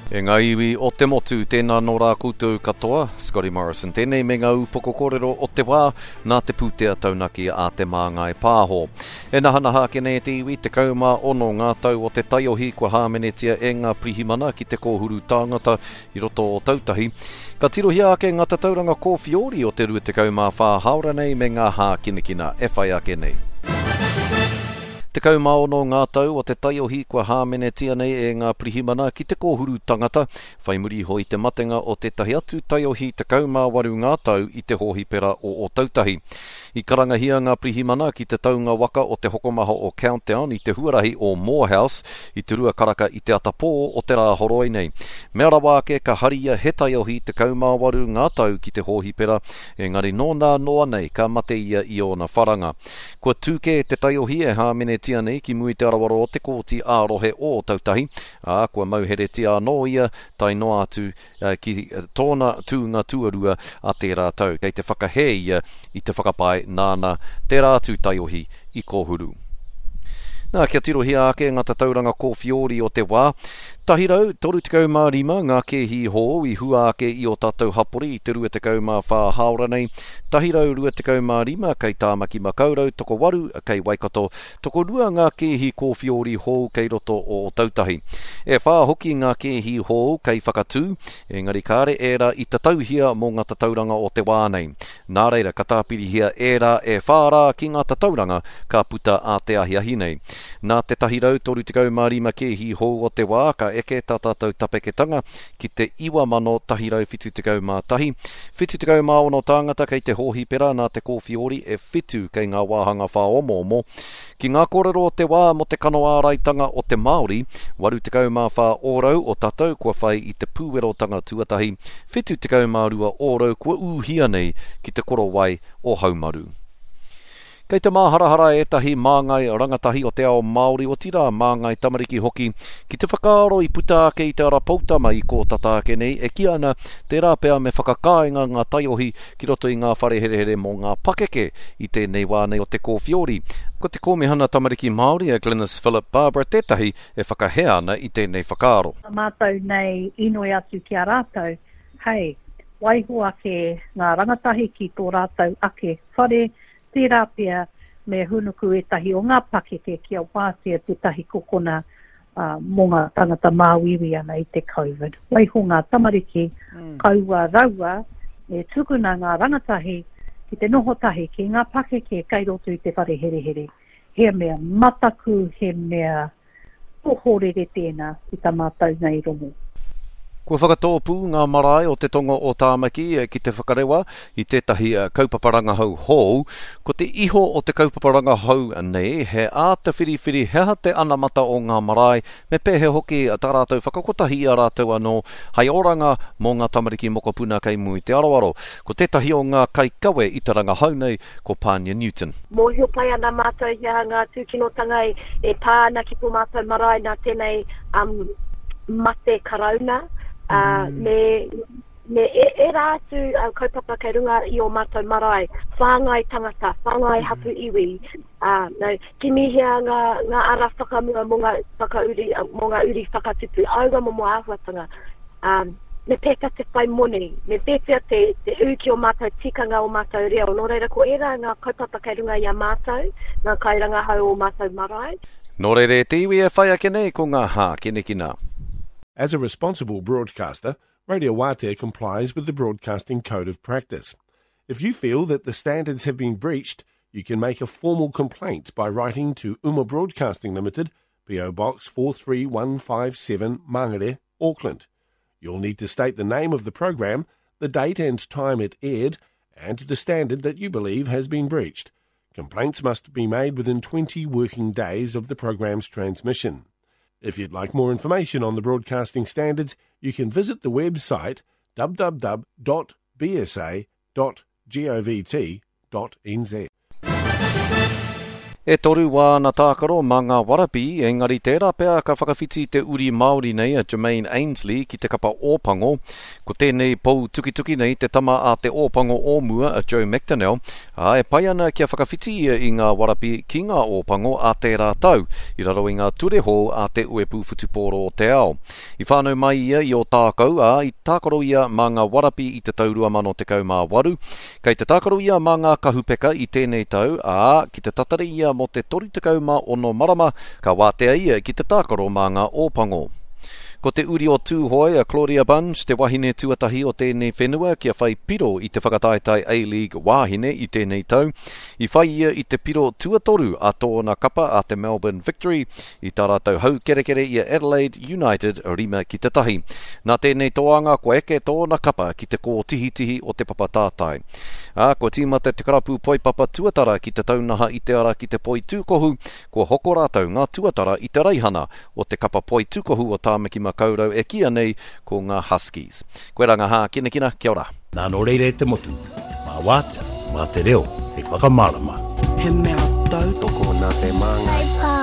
E ngā iwi o te motu, tēnā nō rā koutou katoa, Scotty Morrison tēnei me ngā ūpoko kōrero o te wā nā te pūtea taunaki a Te Māngai Pāho. E nahanaha ake nei te iwi, 16 ngā tau o te taiohi kua hāmenetia e ngā pirihimana ki te kōhuru tāngata i roto o Tautahi. Ka tirohia ake ngā tatauranga kōwhiori o te 24 hāora nei me ngā hākinakina e whai ake nei. 16 ngā tau o te taiohi kua hāmenetia nei e ngā pirihimana ki te kōhuru tangata, whai muri iho i te matenga o tētahi atu taiohi 18 ngā tau i te hōhipera o Ōtautahi. I karangahia ngā pirihimana ki te taunga waka o te hokomaha o Countdown i te huarahi o Moorhouse i te rua karaka i te atapō o te Rāhoroi nei. Mea rawa ake ka haria he taiohi 18 ngā tau ki te hōhipera, engari nōnā noa nei ka mate ia i ōna wharanga. Kua tū kē te taiohi e hāmenetia nei ki mua i te aroaro o te Kōti ā-Rohe o Ōtautahi, ā, kua mauheretia anō ia tae noa atu ki tōna tūnga tuarua a tērā tau. Kei te whakahē ia i te whakapae nāna tērā atu taiohi i kōhuru. Nā, kia tirohia ake ngā tatauranga kōwhiori o te wā. 135 ngā kēhi hou i hua ake i ō tātou hapori i te 24 hāora nei, 125 kei Tāmaki Makaurau, tokowaru kei Waikato, tokorua ngā kēhi kōwhiori hou kei roto o Ōtautahi. E whā hoki ngā kēhi hou kei Whakatū, engari kāre ērā i tatauhia mō ngā tatauranga o te wā nei. Nā reira, ka tāpirihia ērā e whā rā ki ngā tatauranga ka puta ā te ahiahi nei. Nā te 135 kēhi hou o te wā, ka eke tā tātou tapeketanga ki te 9,171. 76 tāngata kei te hōhipera nā te kōwhiori e whitu kei ngā wāhanga whāomoomo. Ki ngā kōrero o te wā mō te kano āraitanga o te Māori, 84 ōrau o tātou kua whai i te pūwerotanga tuatahi, 72 ōrau kua ūhia nei ki te korowai o haumaru. Kei te māharahara ētahi māngai rangatahi o te ao Māori, otirā māngai tamariki hoki, ki te whakaaro i puta ake i te ara poutama i kō tata ake nei e kī ana tērā pea me whakakāinga ngā taiohi ki roto i ngā whare herehere mō ngā pakeke i tēnei wā nei o te kōwhiori. Ko te Kōmihana Tamariki Māori a Glenis Philip Barbara tētahi e whakahē ana i tēnei whakaaro. Tā mātou nei inoi atu ki a rātou, hei, waiho ake ngā rangatahi ki tō rātou ake whare, Tērā pea me hūnuku ētahi o ngā pakeke kia wātea tētahi kokona mō ngā tangata māuiui ana i te Covid. Waiho ngā tamariki, kaua raua e tukuna ngā rangatahi ki te noho tahi ki ngā pakeke kei roto i te whare herehere. He mea mataku, he mea Ohorere tēnā ki ta mātou nei rongo. Kua whakatōpū ngā marae o te tonga o Tāmaki ki te whakarewa i tētahi kaupapa rangahau hou. Ko te iho o te kaupapa rangahau nei he āta whiriwhiri he aha te anamata o ngā marae, me pēhea hoki tā rātou whakakotahi i a rātou anō hei oranga mō ngā tamariki mokopuna kei mua i te aroaro. Ko tētahi o ngā kaikawe i te rangahau nei ko Pānia Newton. Mōhio pai ana mātou he aha ngā tūkinotanga e pā ana ki tō mātou marae nā tēnei mate karauna, me, me ērā atu kaupapa kei runga i ō mātou marae, whāngai tangata, whāngai hapū iwi, no, kimihia ngā, ngā ara whakamua mō ngā whakauri, mō ngā uri whakatupu, aua momo āhuatanga. Me pēwhea te whai moni, me pēwhea te, te ū ki ō mātou tikanga, ō mātou reo. Nō reira, ko ērā ngā kaupapa kei runga i a mātou, ngā kairangahau o mātou marae. Nō reira e te iwi e whai ake nei ko ngā hākinakina. As a responsible broadcaster, Radio Wātea complies with the Broadcasting Code of Practice. If you feel that the standards have been breached, you can make a formal complaint by writing to Uma Broadcasting Limited, PO Box 43157 Mangere, Auckland. You'll need to state the name of the program, the date and time it aired, and the standard that you believe has been breached. Complaints must be made within 20 working days of the program's transmission. If you'd like more information on the broadcasting standards, you can visit the website www.bsa.govt.nz. E toru wāna tākaro mā ngā Warapī, engari tērā pea ka whakawhiti te uri Māori nei a Jermaine Ainsley ki te kapa Ōpango. Ko tēnei pou tukituki nei te tama a te Ōpango o mua a Joe McDonnell, ā, e pai ana kia whakawhiti ia i ngā Warapī ki ngā Ōpango ā tērā tau, i raro i ngā ture hou a te Uepū Whutupōro o te Ao. I whānau mai ia i Ōtākou, ā, i tākaro ia mā ngā Warapī i te tau 2018. Kei te tākaro ia mā ngā kahupeka i tēnei tau, ā, ki te tatari ia mō te 36 marama, ka wātea ia ki te tākaro mā ngā Ōpango. Ko te uri o Tūhoe, a Claudia Bunge, te wahine tuatahi o tēnei whenua kia whai piro i te whakataetae A-League wāhine i tēnei tau. I whai ia i te piro tuatoru a tōna kapa a te Melbourne Victory i tā rātou haukerekere i a Adelaide United 5-1. Nā tēnei toanga kua eke tōna kapa ki te kōtihitihi o te papa tātai. Ā, kua tīmata te karapu poipapa tuatara ki te taunaha i te ara ki te poitūkohu, kua hoko rātou ngā tuatara i te raihana o te kapa poitūkohu o Tāmaki Makaurau e kīia nei ko ngā Huskies. Koirā ngā hākinakina, kia ora. Nā nō reira e te motu, mā Wātea, mā te reo hei whakamārama. He mea tautoko nā te māngai.